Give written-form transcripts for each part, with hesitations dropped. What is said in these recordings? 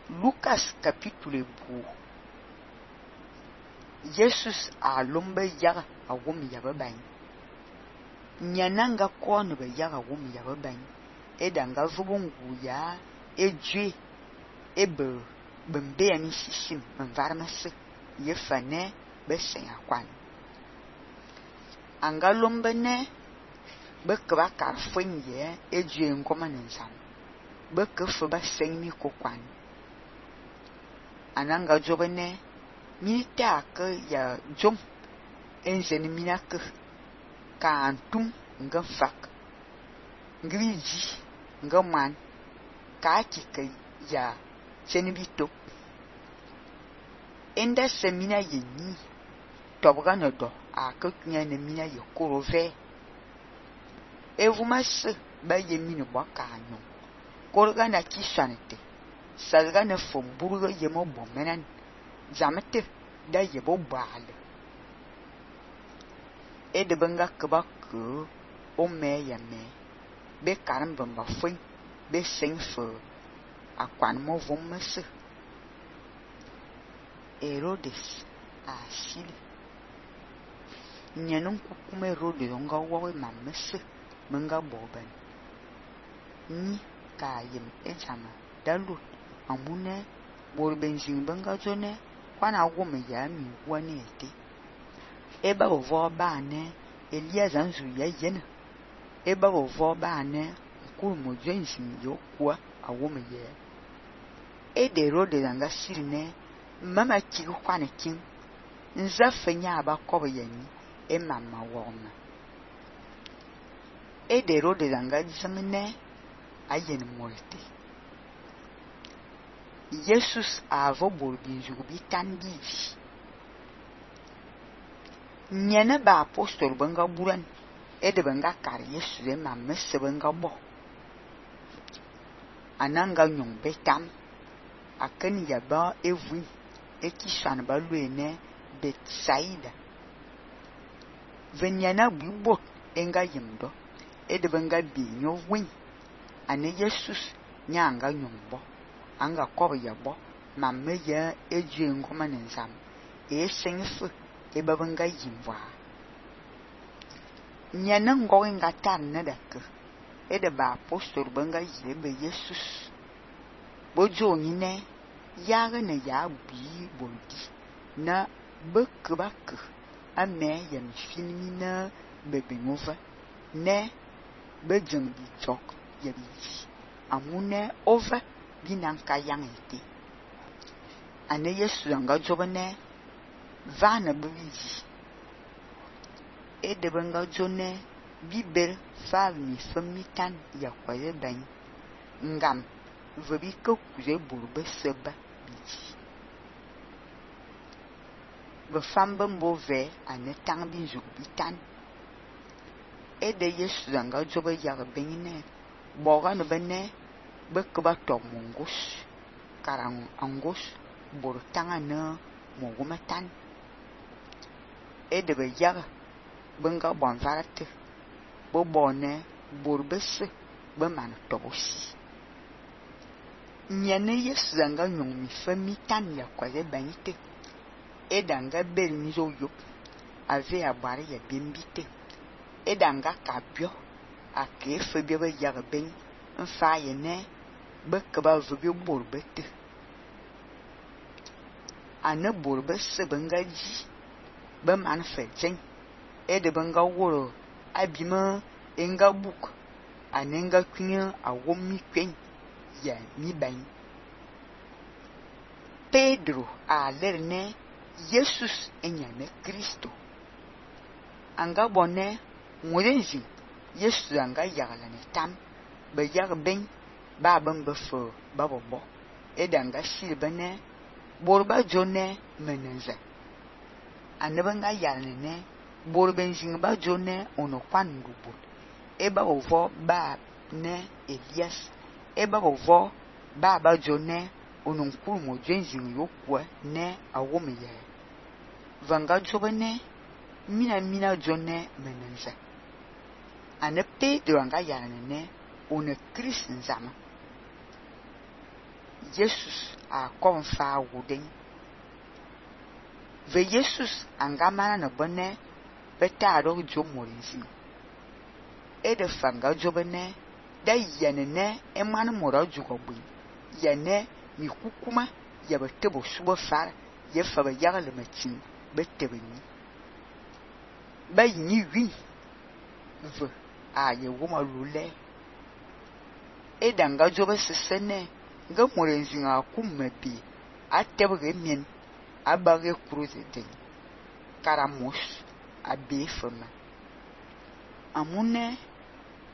Lucas capítulo bu. Jesus a lomba yaga a wum yaba bany. Nyananga kone ba yaga wum yaba bany. Edanga vubungu ya ejwe ebe bembe ani sisim mvarmase yefane besen akwan. Anga lomba ne bekba karfwen ye ejwe ngoma nzam. Bekfe ba senmi kokwan. Ananga jobene minita ke ya jom enzen minake ka antum nga fak ngriji nga man ka kike ya senibito enda semina yenni tobga no do akakunya na mina ye korove evumas ba yemino bakano korga na kisanete salga na fomburgo yemo bomenan zamete da yebo bale edebenga kebak o me ya me be karam bamba fwen be senfo akwan mo vomese Herodes asili nyanun kukume Herodes nga wawe mamese menga boban ni ka yem ejama dalut amune borbenzin benga jone kwana wome ya mi wani ete eba ovo ba ne Elia zanzu ya yena eba ovo ba ne kul mo jensin yo kwa awome ye ede Herodes anga sirine mama kigu kwane kin nza fenya abakobo yani mama wona ede Herodes anga zamene ayen molte Jesus avo borginju bitan bivi nyene ba apostol benga buran ede benga kar Yesu de mamme se benga bo ananga nyong betam aken yaba evui ekishan ba luene Betsaida venyana bibot enga yimdo ede benga bi nyo win ane Jesus nyanga nyombo anga kobo yabo mamme ya eje ngoma nzam senfu ebabenga yimwa nyana ngo nga tan na dak ede ba apostol benga yebe Jesus bojo nyine yaga na ya bi boldi na bekbak ame yam finina bebengova ne bejeng bi chok yabi amune over binanka yangete ane Yesu anga jobane vana bwizi ede benga jone biber falmi famitan ya kwaye bany ngam vebi ko kuje burbe seba biji be fambe mbove ane tang binju bitan ede Yesu anga jobe ya benine boga no bene bekba to mongus karang angus bortanga na mogumatan ede be yaga benga bonvarate bo bone borbese be man tobosi nyane Yesu zanga nyong mi fami tan ya kwaze banite edanga bel mizo yop ave abare ya bimbite edanga kabio akefe be be yaga ben mfa yene bekba vubi borbete ane borbese benga ji be man fejen ede benga woro abima enga buk anenga kunya awomi kwen ya mi ban Pedro a lerne Jesus enyame Kristo anga bonne morenji Yesu anga yagala ne tam be yag ben ba bambe fo babobo edanga silbane borba jone menenza anebanga yalne borbenjing ba jone ono kwandubu eba ovo ba ne Elias eba ovo ba jone ono nkuru mo jenjing yokwa ne awomeye vanga jobene mina jone menenza ane Pedro anga yalne ono Chris nzama Jesus a kom fa wuden. Ve Jesus angamana na bone beta ro jo morinzi. E de fanga jo bene da yanene e man mora jugo bu. Yane mi kukuma ya betebo subo far ye fa ba yagle matin betebeni. Ba yini wi ve a ye woma lule. E danga jo be sesene nga morinzi nga kummebi atebge mien abage cruze den karamos abe fama amune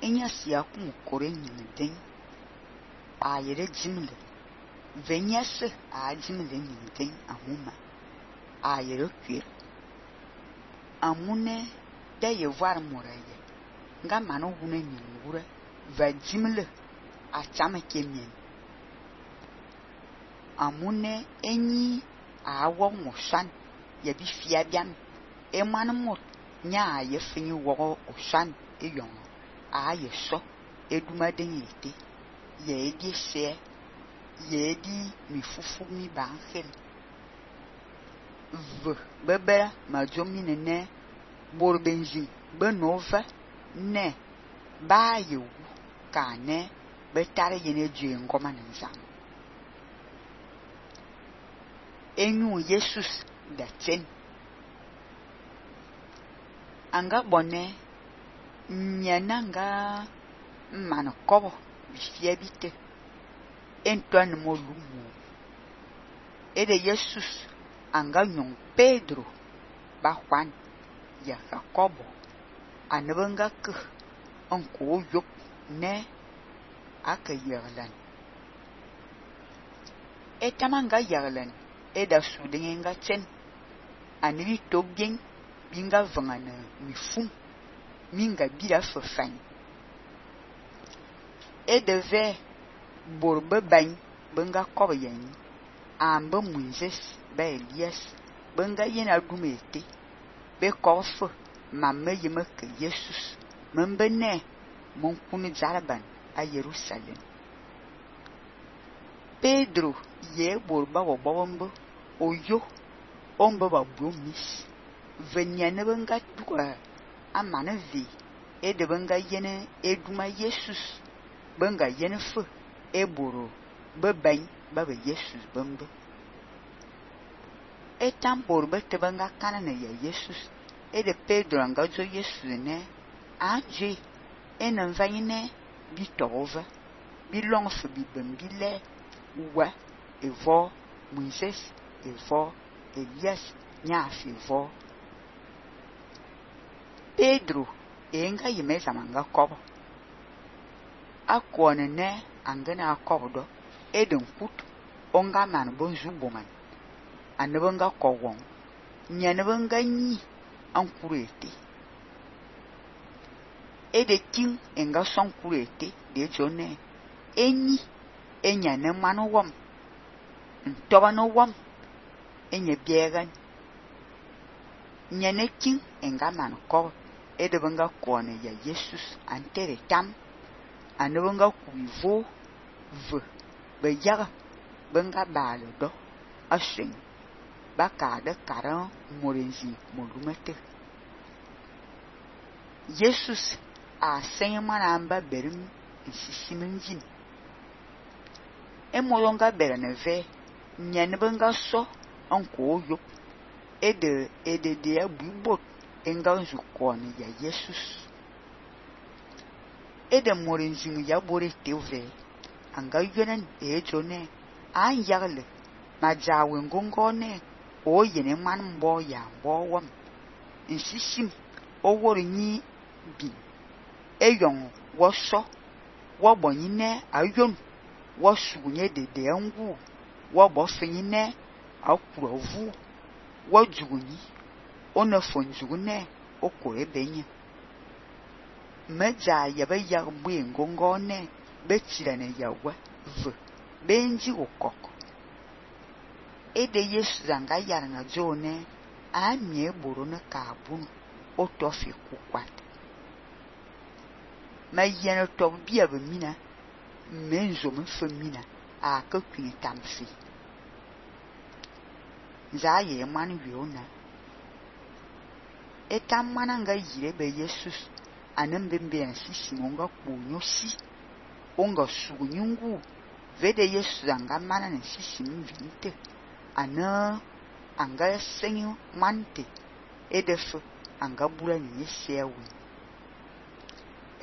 enya sia kum kore nyimden ayere jimle venyase a jimle nyimden amuma ayere kwir amune da ye var moraye nga manu hune nyingure va jimle a chama kemien amune enyi a wo mosan ye bi fia biam e man mot nya ye fini wo osan e yon a ye so e duma den yete ye di se ye di mi fufu mi bankel v bebera ma jomine ne bor benji benova ne ba ye wu ka ne betare yene je ngoma nzam enyu Jesus da chen anga bone nyananga man kobo bifia bite entwan mo lumu e de Jesus anga nyon Pedro ba Juan ya Jacobo anabanga ke onko yop ne akayerlan etamanga yerlan e da sudenga chen aniri tobien binga vangana mifum minga bira fafan e deve borbe ban benga kobayen amba Moses ba Elias benga yena dumete be kof mamme yemeke Jesus membene mon kunu jaraban a Jerusalem Pedro ye borba wobombo oyo omba babu mis venyane benga duka amana vi e de benga yene eduma Jesus benga yene fu e boro beban baba Jesus bambo e tambor bete benga kanana ya Jesus e de Pedro anga jo Jesus ne anje e nan vayine bi tova bi long fu bi bambile wa evo Moses evo Elias nya evo Pedro enga yimeza manga kobo akone ne angana akodo eden kut onga man bonzu boman anabanga kowon nyanabanga nyi ankurete ede king enga son kurete de jone enyi enya ne manu wom ntoba no wom enya biegan nyane king enga man ko ede banga kone ya Jesus antere tam anabanga kuivo v beyaga banga balo do ashin baka de karan morenzi molumete Jesus a senyamana amba berim sisiminjin emolonga bereneve nyane banga so anko yo ede de abubot enga nzu kone ya Jesus ede morenzi ya bore teve anga yenen ejone an yagle majawe ngongone o yene man mbo ya mbowom insishim o wori ni bi eyon wo so wo bonyine ayon wo sugunye de ngu wo bo finyine akurovu wo jugunyi ona fonjugune oko ebenye meja yaba yagbu ngongone betirane yawa v benji okoko ede Yesu zanga yaranga jone amie boro na kabun otofi kukwat ma yene to bia be mina menzo me femina a ke kwin tamfi za ye man wiona etam mananga yire be Jesus anem bembe sisi monga kunyosi onga sunyungu vede Jesus anga mana ne sisi mvinte ana anga senyo mante edefu anga bula ni yesewi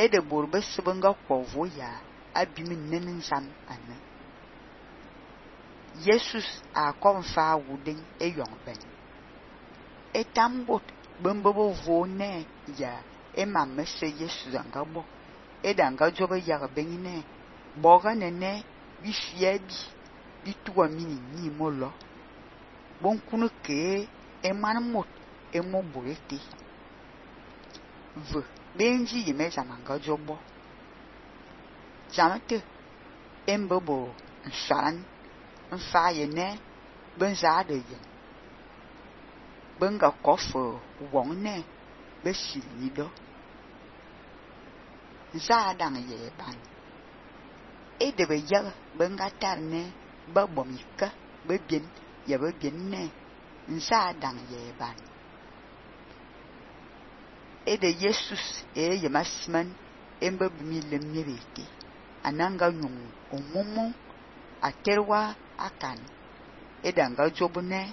ede borbe sebanga kwovo ya abimi nenin zam ana Jesus a konfa wuden eyong ben etambot bembo vone ya emamme se Jesus anga bo edanga jobe ya benine boga nene bi fiabi bi tuwa mini ni molo bon kunu ke eman mot emo borete ve benji yeme zamanga jobo zamate embobo nsan nfa yene benza de yen benga kofo wongne besili do za dang ye ban edebe ya benga tarne ba bomika be bien ya be bien ne nsa dang ye ban ede Jesus yemasman embe bimile mnyebete ananga nyung omumu aterwa akan edanga jobune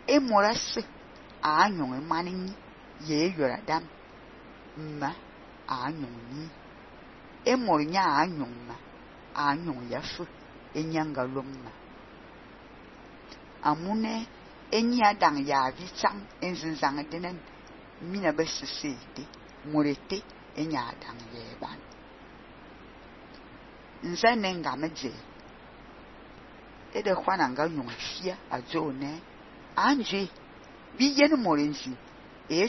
emorase anyong manin ye yoradam ma anyong ni emornya anyong ma anyong yafu enyanga lomma amune enya dang ya vichang enzinzang denen mina besisete morete enya dang yeban nzane ngamaje ede kwananga nyongfia ajone anje biyen morenzi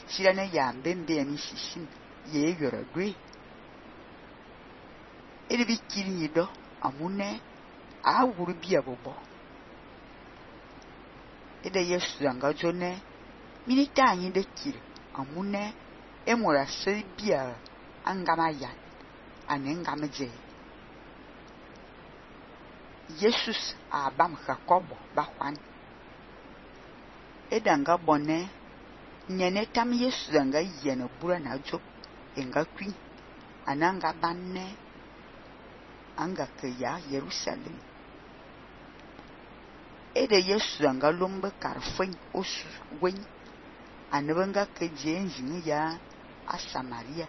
tirane ya mbembe mi sisin ye yoradwe ede bikiri nido amune awuru bia bobo ede Yesu anga jone minita anyi de kiri amune emora sebia angama ya anengamaje Jesus abam Jacobo bakwan edanga bonne nyene tam Yesu anga yene bura na job enga kwin ananga banne anga ke ya Jerusalem ede Yesu anga lombe karfen osu wen anebanga ke jenjin ya a Samaria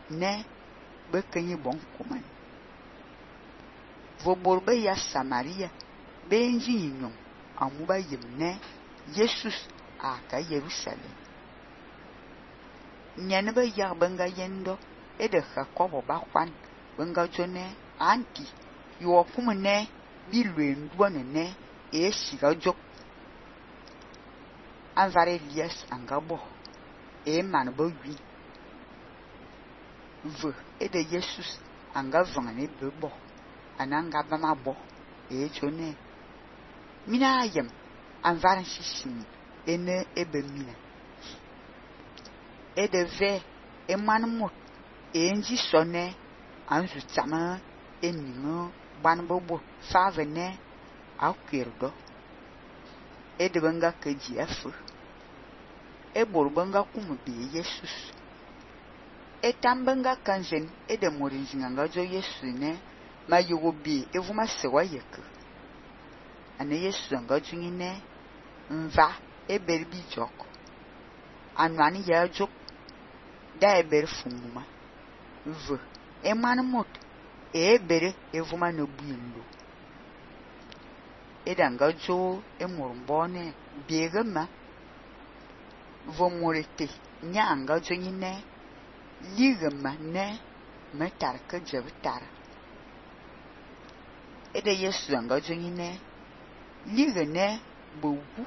ne bekenyi bon kuman voborbe ya Samaria benji nyong amuba yemne Jesus aka Jerusalem nyanebe ya benga yendo ede Jacobo bakwan benga jone anti yo kumne bilwenduwa ne esiga jok anvare Elias angabo manbo wi ve ede Jesus anga vangane bebo ananga bama bo jone mina yem anvaran sisin ene ebemina edeve emanmot enji sone anzu tsama eningo banbobo favene akwirdo edebenga kejiafu eborbenga kumbe Jesus etambenga kanzen edemorinzinga jo Yesu ne mayobi evuma sewa yeke ane Yesu anga jungine mva eberbi joko anwani ya jok da eber fumuma ve emanmot ebere evuma no buindo edanga jo emurumbone biegema vomorete nyanga jo nyine ligema ne metarka jebtar ede Yesu anga jo nyine ligene bowu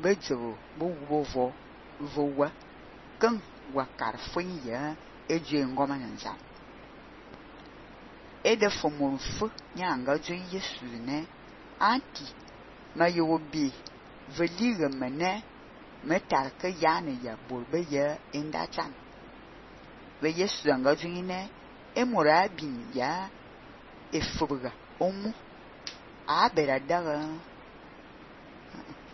bejo bowo vowa kan wakar funya eje ngoma nza ede fomorfu nyanga jo Yesu ne anti mayobi veliga mane metarka yana ya bolbe ya indachan ve Yesu anga jine emora bin ya efubuga omu a bera daga